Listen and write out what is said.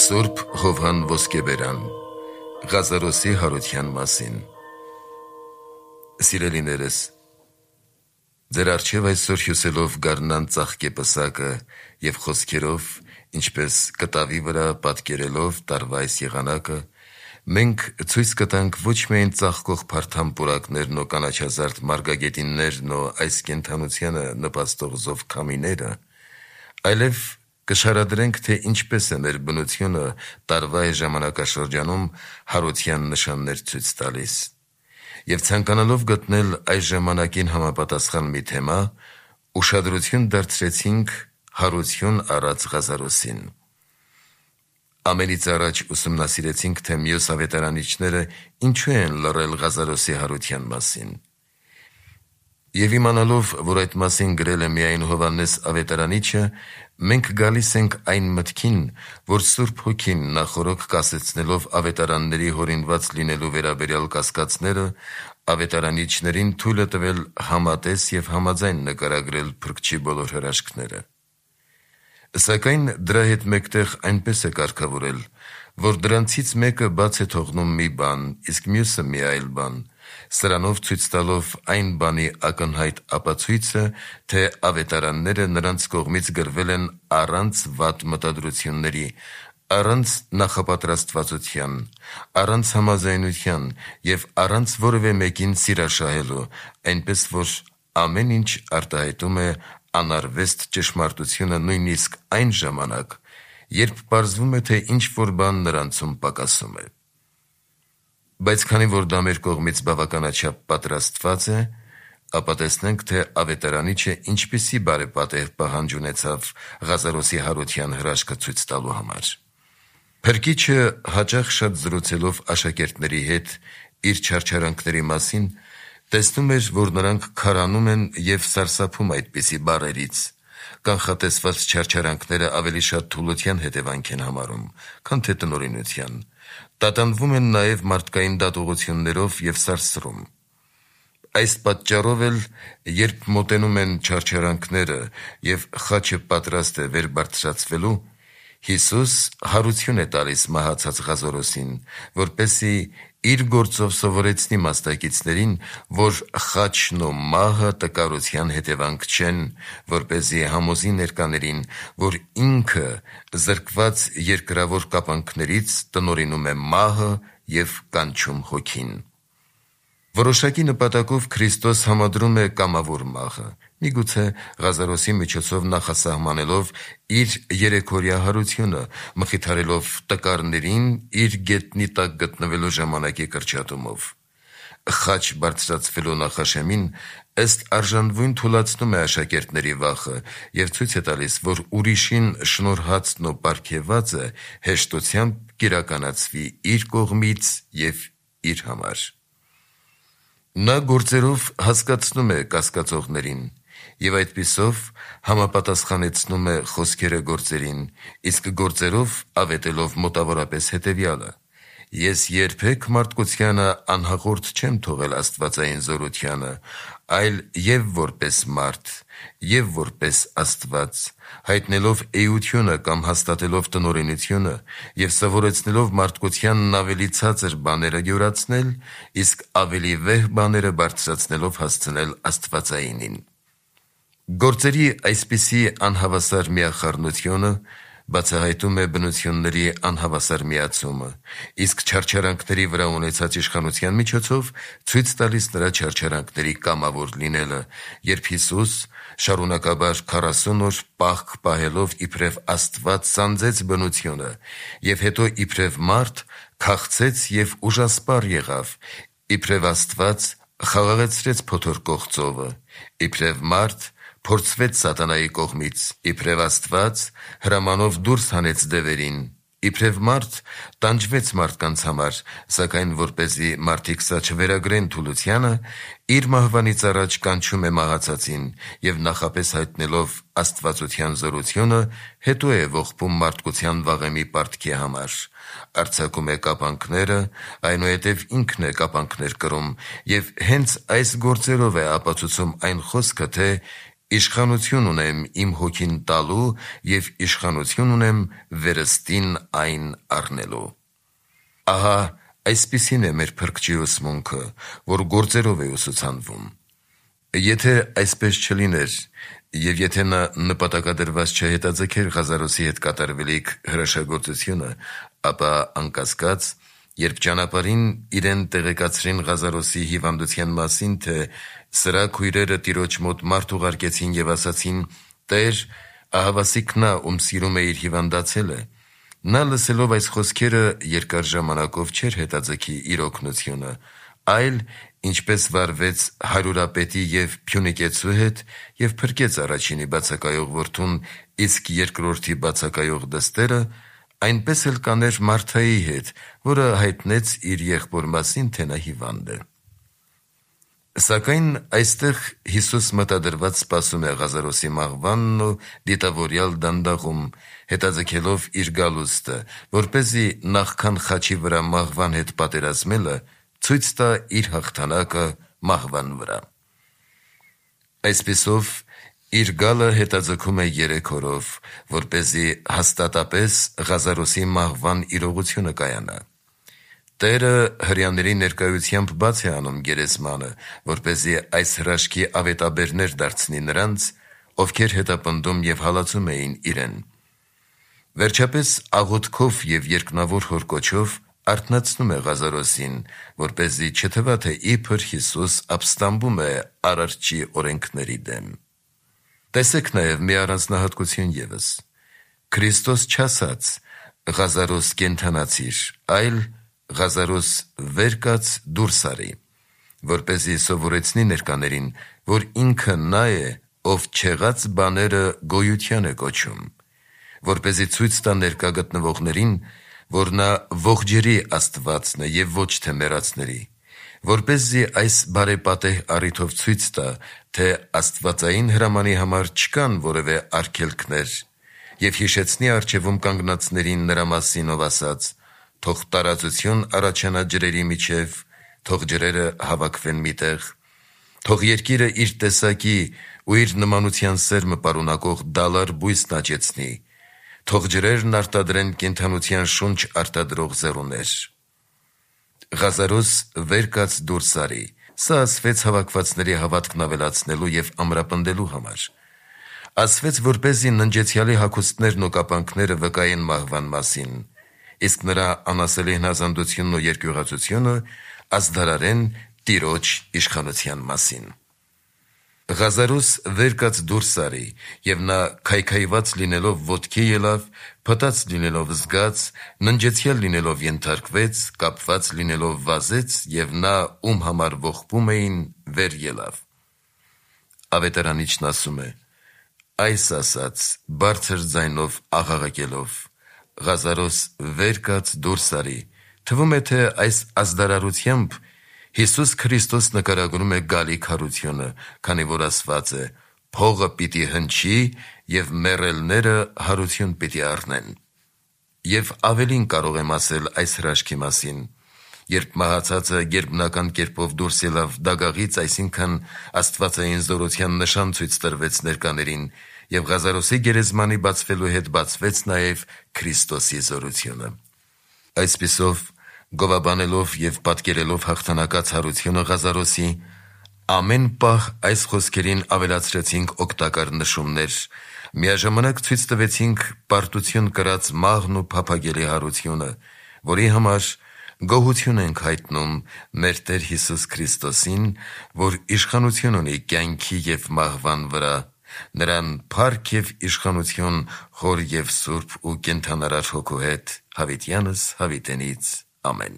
Սուրբ Հովհան Ոսկեբերան Ղազարոսի հարության մասին։ Սիրելիներս, ձեր առջև այսօր հյուսելով գարնան ծաղկե պսակը և խոսքերով, ինչպես կտավի վրա պատկերելով տարվա այս եղանակը, մենք ցույց կտանք ոչ միայն ծաղկող փարթամ պուրակներն ու կանաչազարդ մարգագետիններն ու այս կենդանությանը նպաստող զով քամիները, այլև կշարադրենք, թե ինչպես է մեր բնությունը տարվա այս ժամանակաշրջանում հարության նշաններ ցույց տալիս։ Եվ ցանկանալով գտնել այս ժամանակին համապատասխան մի թեմա, ուշադրություն դարձրեցինք հարություն առած Ղազարոսին։ Ամենից առաջ ուսումնասիրեցինք, թե մյուս ավետարանիչները ինչու են լռել Ղազարոսի հարության մասին։ Եվ իմանալով, որ այդ մասին գրել է միայն Հովհաննես ավետարանիչը, մենք գալիս ենք այն մտքին, որ Սուրբ Հոգին նախօրոք կասեցնելով ավետարանների հորինված լինելու վերաբերյալ կասկածները, ավետարանիչներին թույլ է տվել համատես և համաձայն նկարագրել Փրկչի բոլոր հրաշքները։ Սակայն դրա հետ մեկտեղ այնպես է կարգավորել, որ դրանցից մեկը բաց է թողնում մի բան, իսկ մյուսը մի այլ բան, սրանով ցույց տալով այն բանի ակնհայտ ապացույցը, թե ավետարանները նրանց կողմից գրվել են առանց վատ մտադրությունների, առանց նախապատրաստվածության, առանց համաձայնության և առանց որևէ մեկին սիրաշահելու, այնպես որ ամեն ինչ արտահայտում է անարվեստ ճշմարտությունը նույնիսկ այն ժամանակ, երբ պարզվում է, թե ինչ-որ բան նրանցում պակասում է։ Բայց քանի որ դա մեր կողմից բավականաչափ պատրաստված է, ապա տեսնենք, թե ավետարանիչը ինչպիսի բարեպատեհ պահանջ ունեցավ Ղազարոսի հարության հրաշքը ցույց տալու համար։ Փրկիչը հաճախ շատ զրուցելով աշակերտների հետ իր չարչարանքների մասին, տեսնում էր, որ նրանք քարանում են և սարսափում այդպիսի բառերից։ Կանխատեսված չարչարանքները ավելի շատ թուլության հետևանք են համարում, քան թե տնօրինության, տատանվում են նաև մարդկային դատողություններով և սարսռում։ Այս պատճառով էլ, երբ մոտենում են չարչարանքները և խաչը պատրաստ է վեր բարձրացվելու, Հիսուս հարություն է տալիս մահացած Ղազարոսին, որպեսզի իր գործով սովորեցնի մասնակիցներին, որ խաչն ու մահը տկարության հետևանք չեն, որպեսզի համոզի ներկաներին, որ ինքը զրկված երկրավոր կապանքներից տնօրինում է մահը և կանչում հոգին։ Որոշակի նպատակով Քրիստոս համադրում է կամավոր մահը, միգուցե Ղազարոսի միջոցով նախասահմանելով իր երեքօրյա հարությունը, մխիթարելով տկարներին իր գետնի տակ գտնվելու ժամանակի կրճատումով։ Խաչ բարձրացվելու նախաշեմին ըստ արժանվույն թուլացնում է աշակերտների վախը և ցույց է տալիս, որ ուրիշին շնորհածն ու պարգևածը հեշտությամբ կիրականացվի իր կողմից և իր համար։ Նա գործերով հասկացնում է կասկածողներին և այդպիսով համապատասխանեցնում է խոսքերը գործերին, իսկ գործերով ավետելով մոտավորապես հետևյալը. «Ես երբեք մարդկությանը անհաղորդ չեմ թողել աստվածային զորությանը, այլ և որպես մարդ, և որպես Աստված, հայտնելով էությունը կամ հաստատելով տնօրինությունը և սովորեցնելով մարդկությանն ավելի ցածր բաները յուրացնել, իսկ ավելի վեհ բաները բարձրացնելով հասցնել աստվածայինին»։ Գործերի այսպիսի անհավասար միախառնությունը բացահայտում է բնությունների անհավասար միացումը, իսկ չարչարանքների վրա ունեցած իշխանության միջոցով ցույց տալիս նրա չարչարանքների կամավոր լինելը, երբ Հիսուս շարունակաբար 40 օր պահք պահելով իբրև Աստված սանձեց բնությունը և հետո իբրև մարդ քաղցեց և ուժասպառ եղավ, իբրև Աստված խաղաղեցրեց փոթորկող ծովը, իբրև մարդ փորձվեց սատանայի կողմից, իբրև Աստված հրամանով դուրս հանեց դևերին, իբրև մարդ տանջվեց մարդկանց համար, սակայն որպեսզի մարդիկ սա չվերագրեն թուլությանը, իր մահվանից առաջ կանչում է մահացածին և նախապես հայտնելով աստվածության զորությունը, հետո է ողբում մարդկության վաղեմի պարտքի համար, արձակում է կապանքները, այնուհետև ինքն է կապանքներ կրում և հենց այս գործերով է ապացուցում այն խոսքը, թե Իշխանություն ունեմ իմ հոգին տալու և իշխանություն ունեմ վերստին այն առնելու։ Ահա այսպիսին է մեր Փրկչի ուսմունքը, որ գործերով է ուսուցանվում։ Եթե այսպես չլիներ, և եթե նա նպատակադրված չհետաձգեր Ղազարոսի հետ կատարվելիք հրաշագործությունը, ապա անկասկած, երբ ճանապարհին իրեն տեղեկացրին Ղազարոսի հիվանդության մասին, թե սրա քույրերը տիրոջ մոտ մարդ ուղարկեցին և ասացին. «Տեր, ահավասիկ նա, ում սիրում էիր, հիվանդացել է», նա լսելով այս խոսքերը երկար ժամանակով չէր հետաձգի իր օգնությունը, այլ ինչպես վարվեց հարյուրապետի և Փյունիկեցու հետ և փրկեց առաջինի բացակայող որդուն, իսկ երկրորդի բացակայող դստերը, այնպես էլ կաներ Մարթայի հետ, որը հայտնեց իր եղբոր մասին, թե նա հիվանդ է։ Սակայն այստեղ Հիսուս մտադրված սպասում է Ղազարոսի մահվանն ու դիտավորյալ դանդաղում, հետաձգելով իր գալուստը, որպեսզի նախքան խաչի վրա մահվան հետ պատերազմելը, ցույց տա իր հաղթանակը մահվան վրա։ Այսպիսով, իր գալը հետաձգում է 3 օրով, որպեսզի հաստատապես Ղազարոսի մահվան իրողությունը կայանա։ Տերը հրեաների ներկայությամբ բաց է անում գերեզմանը, որպեսզի այս հրաշքի ավետաբերներ դարձնի նրանց, ովքեր հետապնդում և հալածում էին իրեն։ Վերջապես աղոթքով և երկնավոր հորկոչով արթնացնում է Ղազարոսին, որպեսզի չթվա, թե իբր Հիսուս ապստամբում է Արարչի օրենքների դեմ։ Տեսեք նաև մի առանձնահատկություն ևս. Քրիստոս չասաց. «Ղազարոս կենդանացիր», այլ «Ղազարոս վեր կաց դուրս արի», որպեսզի սովորեցնի ներկաներին, որ ինքը նա է, ով չեղած բաները գոյության է կոչում, որպեսզի ցույց տա ներկա գտնվողներին, որ նա ողջերի Աստվածն է և ոչ թե մեռածների, որպեսզի այս բարեպատեհ առիթով ցույց տա, թե աստվածային հրամանի համար չկան որևէ արգելքներ, և հիշեցնի առջևում կանգնածներին նրա մասին, ով ասաց. «Թող տարածություն առաջանա ջրերի միջև, թող ջրերը հավաքվեն միտեղ, թող երկիրը իր տեսակի ու իր նմանության սերմը պարունակող դալար բույսն աճեցնի, թող ջրերն արտադրեն կենդանության շունչ արտադրող ձեռուներ»։ Ղազարոս վեր կաց դուրս արի, սա ասվեց հավաքվածների հավատքն ավելացնելու և ամրապնդելու համար։ Ասվեց, որպեսզի ննջեցյալի հագուստներն ու կապանքները վկայեն մահվան մասին, իսկ նրա անասելի հնազանդությունն ու երկյուղածությունը ազդարարեն Տիրոջ իշխանության մասին։ Ղազարոս վեր կաց դուրս արի, և նա քայքայված լինելով ոտքի ելավ, փտած լինելով զգաց, ննջեցյալ լինելով ենթարկվեց, կապված լինելով վազեց, և նա, ում համար ողբում էին, վեր ելավ։ Ավետարանիչն ասում է. այս ասաց բարձր ձայնով աղաղակելով. «Ղազարոս վեր կաց դուրս արի», թվում է, թե այս ազդարարությամբ Հիսուս Քրիստոս նկարագրում է գալիք հարությունը, քանի որ ասված է. «Փողը պիտի հնչի և մեռելները հարություն պիտի առնեն»։ Եվ ավելին կարող եմ ասել այս հրաշքի մասին. երբ մահացածը գերբնական կերպով դուրս ելավ դագաղից, այսինքն աստվածային զորության նշան ցույց տրվեց ներկաներին, և Ղազարոսի գերեզմանի բացվելու հետ բացվեց նաև Քրիստոսի զորությունը։ Այսպիսով, գովաբանելով և պատկերելով հաղթանակած հարությունը Ղազարոսի, ամեն պահ այս խոսքերին ավելացրեցինք օգտակար նշումներ, միաժամանակ ցույց տվեցինք պարտություն կրած մաղն ու փափագելի հարությունը, որի համար գոհություն ենք հայտնում մեր Տեր Հիսուս Քրիստոսին, որ իշխանություն ունի կյանքի և մահվան վրա, նրան փառք և իշխանություն Հոր և Սուրբ ու կենդանարար Հոգու հետ, հավիտյանս հավիտենից։ Ամեն։